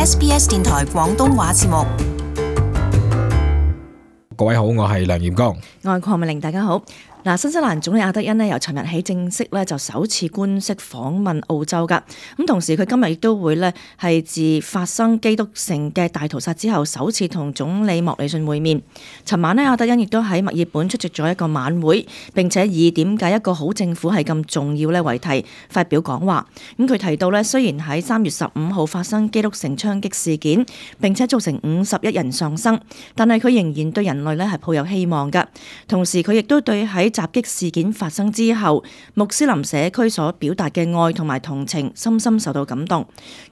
SBS 電台廣東話節目。各位好，我係梁炎光，我係鄺美玲，大家好。新西蘭總理阿德恩由尋日起正式就首次官式訪問澳洲㗎。咁同時佢今日亦都會係自發生基督城嘅大屠殺之後，首次同總理莫里遜會面。尋晚阿德恩亦都喺墨爾本出席咗一個晚會，並且以點解一個好政府係咁重要為題發表講話。咁佢提到雖然喺3月15號發生基督城槍擊事件，並且造成51人喪生，但係佢仍然對人類係抱有希望㗎。同時佢亦都對喺襲擊事件發生之後，穆斯林社區所表達嘅愛同埋同情，深深受到感動。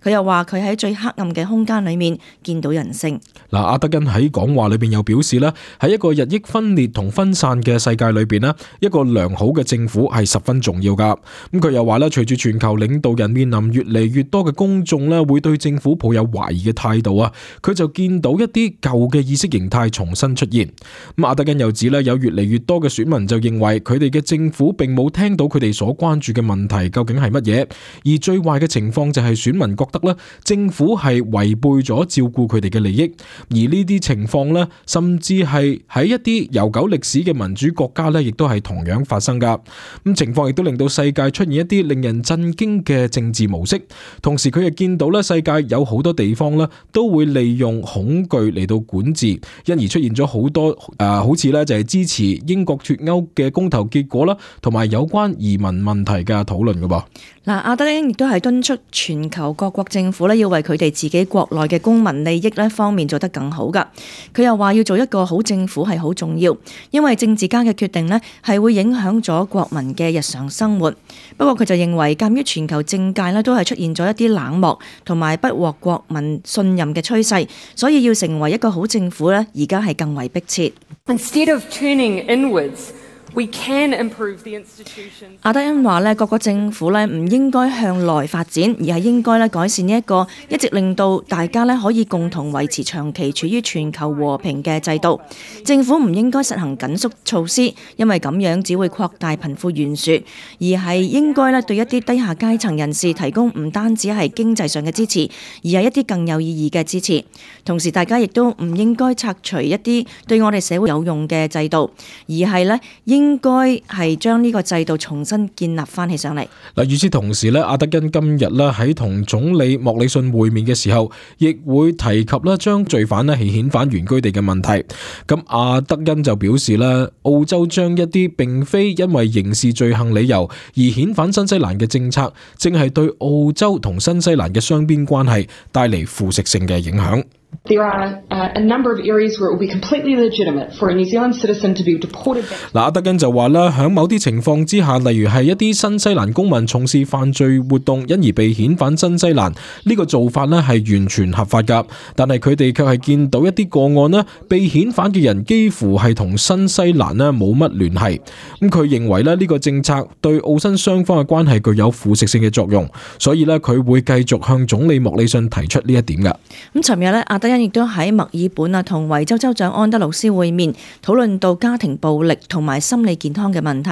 佢又話佢喺最黑暗嘅空間裏面見到人性。阿德恩喺講話裏邊又表示喺一個日益分裂同分散嘅世界裏邊一個良好嘅政府係十分重要噶。咁佢又話隨住全球領導人面臨越嚟越多嘅公眾會對政府抱有懷疑嘅態度佢就見到一啲舊嘅意識形態重新出現。咁阿德恩又指有越嚟越多嘅選民就認為佢哋嘅政府並冇聽到佢哋所關注嘅問題究竟係乜嘢，而最壞嘅情況就係選民覺得政府係違背咗照顧佢哋嘅利益，而呢啲情況甚至係喺一啲悠久歷史嘅民主國家亦都係同樣發生噶。咁情況亦都令到世界出現一啲令人震驚嘅政治模式，同時佢亦見到世界有好多地方都會利用恐懼嚟到管治，因而出現咗好多好似就係支持英國脫歐嘅公投結果啦，同埋有關移民問題嘅討論噶噃。阿德恩亦都係敦促全球各國政府要為佢哋自己國內嘅公民利益方面做得更好噶。佢又話要做一個好政府係好重要，因為政治家嘅決定係會影響咗國民嘅日常生活。不過佢就認為鑒於全球政界都係出現咗一啲冷漠同埋不獲國民信任嘅趨勢，所以要成為一個好政府而家係更為迫切。Instead of turning inwards, we can improve the institutions. 阿德恩話各個政府唔應該向內發展，而係應該改善呢一個一直令到大家可以共同維持長期處於全球和平嘅制度。政府唔應該實行緊縮措施，因為咁樣只會擴大貧富懸殊，而係應該對一啲低下階層人士提供唔單止係經濟上嘅支持，而係一啲更有意義嘅支持。同時大家亦都唔應該拆除一啲對我哋社會有用嘅制度，而係應該係將呢個制度重新建立翻起上嚟。與此同時阿德恩今日喺同總理莫里遜會面嘅時候，亦會提及將罪犯係遣返原居地嘅問題。咁阿德恩就表示澳洲將一啲並非因為刑事罪行理由而遣返新西蘭嘅政策，正係對澳洲同新西蘭嘅雙邊關係帶嚟腐蝕性嘅影響。There are a number of areas where it will be completely legitimate for a New Zealand citizen to be deported back. 阿德恩就話響某啲情況之下，例如係一啲新西蘭公民從事犯罪活動，因而被遣返新西蘭，呢個做法係完全合法噶。但係佢哋卻係見到一啲個案被遣返嘅人幾乎係同新西蘭冇乜聯繫。咁佢認為呢個政策對澳新雙方嘅關係具有腐蝕性嘅作用，所以佢會繼續向總理莫里遜提出呢一點噶。咁尋日阿德恩亦都喺墨爾本同維州州長安德魯斯會面，討論到家庭暴力同埋心理健康嘅問題。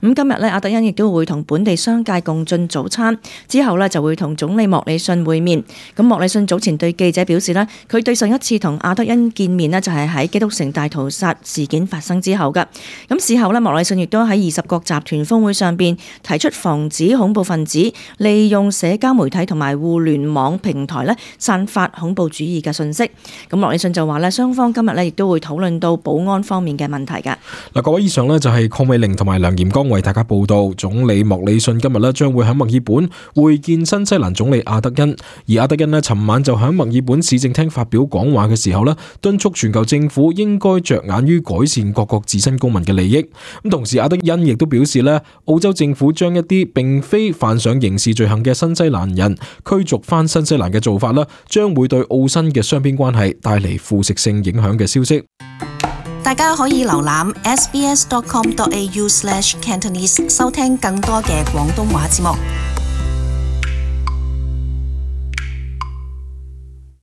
咁今日阿德恩亦都會同本地商界共進早餐，之後就會同總理莫里遜會面。咁莫里遜早前對記者表示佢對上一次同阿德恩見面就係喺基督城大屠殺事件發生之後噶。咁事後莫里遜亦都喺20國集團峰會上邊提出防止恐怖分子利用社交媒體同埋互聯網平台散發恐怖主義嘅信息。咁莫里遜就話雙方今日亦都會討論到保安方面嘅問題噶。各位，以上就係鄺美玲同埋梁炎光為大家報道。總理莫里遜今日將會喺墨爾本會見新西蘭總理阿德恩，而阿德恩尋晚就喺墨爾本市政廳發表講話嘅時候敦促全球政府應該着眼於改善各國自身公民嘅利益。咁同時阿德恩亦都表示澳洲政府將一啲並非犯上刑事罪行嘅新西蘭人驅逐翻新西蘭嘅做法將會對澳新嘅雙邊關係帶嚟腐蝕性影響嘅消息。大家可以瀏覽 sbs.com.au/Cantonese 收聽更多嘅廣東話節目。